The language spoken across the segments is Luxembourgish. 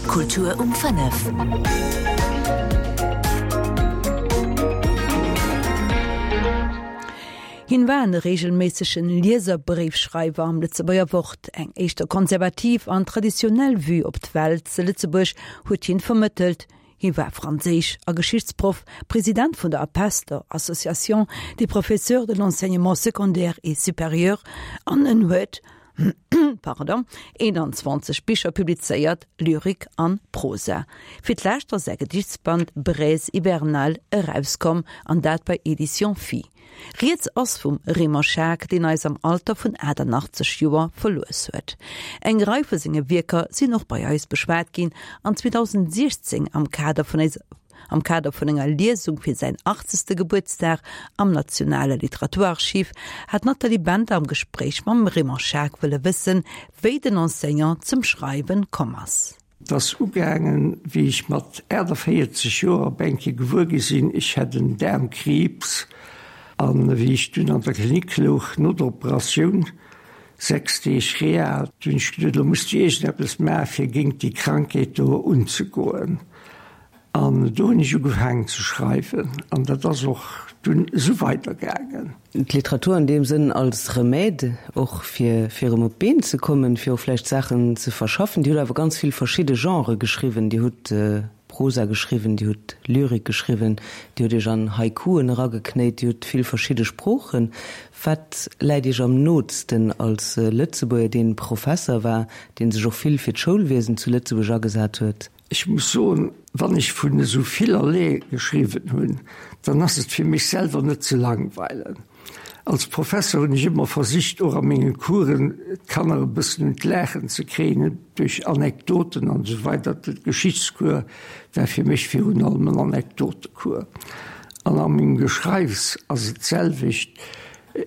Kultur um 5. Hien war en reegelméissegen Lieserbréifschreiwer am Lëtzebuerger Wort. Eng éischter konservativ an traditionell Vue op d'Welt ze Lëtzebuerg huet hien vermëttelt. Hie war Franséisch a Geschichtsproff, President vun der APESS, der Association des professeurs de l'enseignement secondaire et supérieur, an en huet pardon, 21 Bicher publizéiert, Lyrik an Prosa. Fir d'lescht ass säi Gedichtsband Braise hivernale erauskomm, an dat bei Éditions Phi. Rieds ass vum Raymond Schaack, deen eis am Alter vun 88 Joer verlues huet. Eng Rei vu senge Wierker sinn och bei eis beschwat ginn an 2016 am Kader vun am Kader vun enger Liesung fir säin achtzegste Gebuertsdag am Nationale Literaturarchiv hat d'Nathalie Bender am Gespréich mam Raymond Schaack wëlle wëssen, wéi den Enseignant zum Schreiwen komm ass. Et ass ugaangen, wéi ech mat 48 Joer op eng Kéier gewuer gi sinn, ech hätt en Daarmkriibs. An wéi ech dunn an der Klinik louch no der Operatioun, 6 Deeg Reha, du hunn ech geduet, elo muss de iergendeppes maachen, fir géint déi Krankheet do unzegoen. An do hunn ech ugefaangen ze schreiwen an dat ass och dunn esou weidergaangen. D'Literatur an deem Sënn als Remède och fir fir erëm op d'Been ze kommen, fir och vläicht Saachen ze verschaffen. Dir hutt awer ganz vill verschidde Genrë geschriwwen. Dir hutt Prosa geschriwwen, Dir hutt Lyrik geschriwwen, Dir hutt Iech an Haikuen erageknéit, Dir hutt vill verschidde Sproochen. Wat läit Iech am nootsten als Lëtzebuerger, deen Professer war, deen sech och vill fir d'Schoulwiesen zu Lëtzebuerg agesat huet? Ech muss soen, wann ech vun esou villerlee geschriwwen hunn, dann ass et fir mech selwer net ze langweilen. Als Professer hunn ech ëmmer versicht, och a menge Coursen d'Kanner e bëssen un d'Laachen ze kréien, duerch Anekdoten an esou weider. De Geschichtscours war fir mech virun allem en Anekdotecours. An a mengem Geschreifs ass et d'selwecht.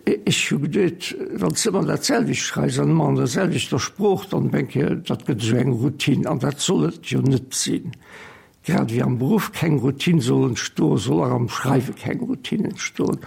Ech hu geduet, wann s de ëmmer dat selwecht schreifs an ëmmer an der selwechter Sprooch, dann denk ech, dat gëtt esou eng Routine an dat soll et jo net sinn. Grad ewéi am Beruff keng Routine soll entstoen, soll och am Schreiwe keng Routine entstoen.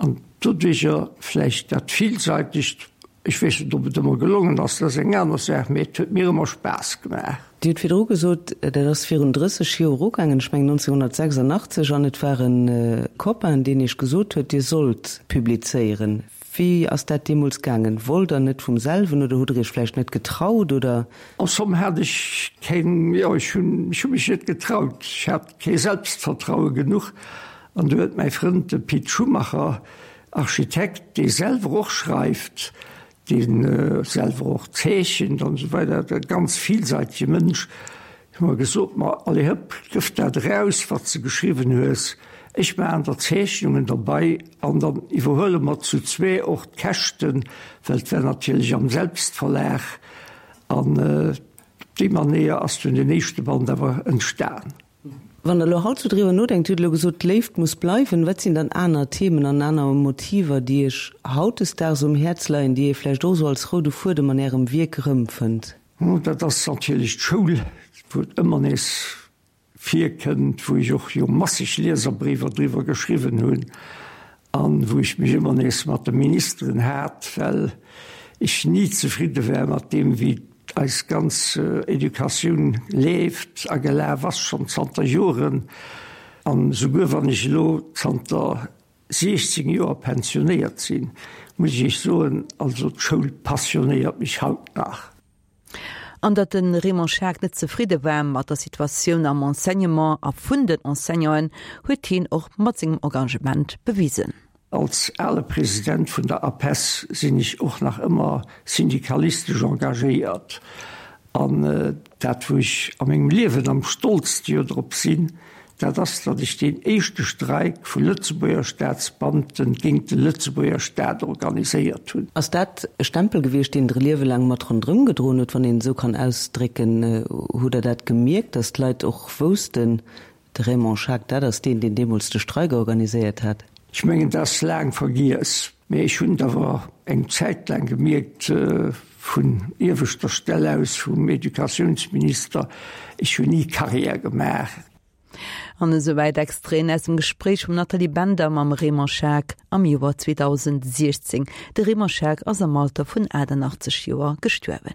An doduercher vläicht dat Villseitegt, ech weess net, ob et ëmmer gelongen ass, dat ass eng aner Saach, mee et huet mir ëmmer Spaass gemaach. Dir hutt virdru gesot, dat ass virun 30 Joer ugaangen, ech mengen 1986, an et war e Copain, deen Iech gesot huet, Dir sollt publizéieren. Wéi ass dat deemools gaangen? Wollt Der net vum selwen oder hutt Der Iech vläicht net getraut, oder? En somme hat ech keng, jo, ech hunn, ech hu mech net getraut. Ech hat kee Selbstvertraue genuch. An du huet mäi Frënd, de Pit Schumacher, Architekt, dee selwer och schreift, deen selwer och zeechent an esou weider, e ganz villseitege Mënsch, hu mer gesot, ma allez hëpp, gëff dat eraus, wat s de geschriwwen hues, ech maachen der Zeechnungen derbei an dann iwwerhuele mer zu zwee och d'Käschten, well et war natierlech am Selbstverlag. An op déi Manéier ass dunn den éischte Band awer entstan. Wann Der elo haut sou driwwer nodenkt, Dir hutt elo gesot, d'Léift muss bleiwen, wat sinn dann aner Themen an aner Motiver, déi Iech hautdesdaags um Häerz leien, déi ee vläicht och sou als roude Fuedem an Ärem Wierk erëmfënnt? Dat ass natierlech d'Schoul, wou et ëmmer nees virkënnt, wou ech och jo masseg Lieserbréiwer driwwer geschriwwen hunn an wou ech mech ëmmer nees mat de Ministeren hat, well ech ni zefridde war mat deem, wéi Eis ganz Educatioun leeft a gelaf ass schonn zanter Joren. An esouguer wann ech elo zanter 16 Joer pensionéiert sinn, muss ech Iech soen, also d'Schoul passionéiert mech haut nach. An datt de Raymond Schaack net zefridde war mat der Situatioun am Enseignement a vun den Enseignanten, huet hien och mat sengem Engagement bewisen. Als ale President vun der APESS sinn ech och nach ëmmer syndikalistesch engagéiert. An dat, wou ech a mengem Liewen am stolzste jo drop sinn, dat ass, datt ech deen éischte Streik vu Lëtzebuerger Staatsbeamten géint de Lëtzebuerger Staat organiséiert hunn. Ass dat e Stempel gewiescht, deen Der e Liewe laang mat ronderëm gedroen hutt, wann een et esou kann ausdrécken? Hutt Der dat gemierkt, datt d'Leit och woussten, De Raymond Schaack, dat ass deen, deen deemools de Streik organiséiert hat. Ech mengen, dat ass laang vergiess, mä ech hunn et awer eng Zäit laang gemierkt, vun ieweschter Stell aus, vum Educatiounsminister, ech hunn ni Carrière gemaach. An esouwäit Extraiten aus dem Gespréich vum Nathalie Bender mam Raymond Schaack am Joer 2016. De Raymond Schaack ass am Alter vun 88 Joer gestuerwen.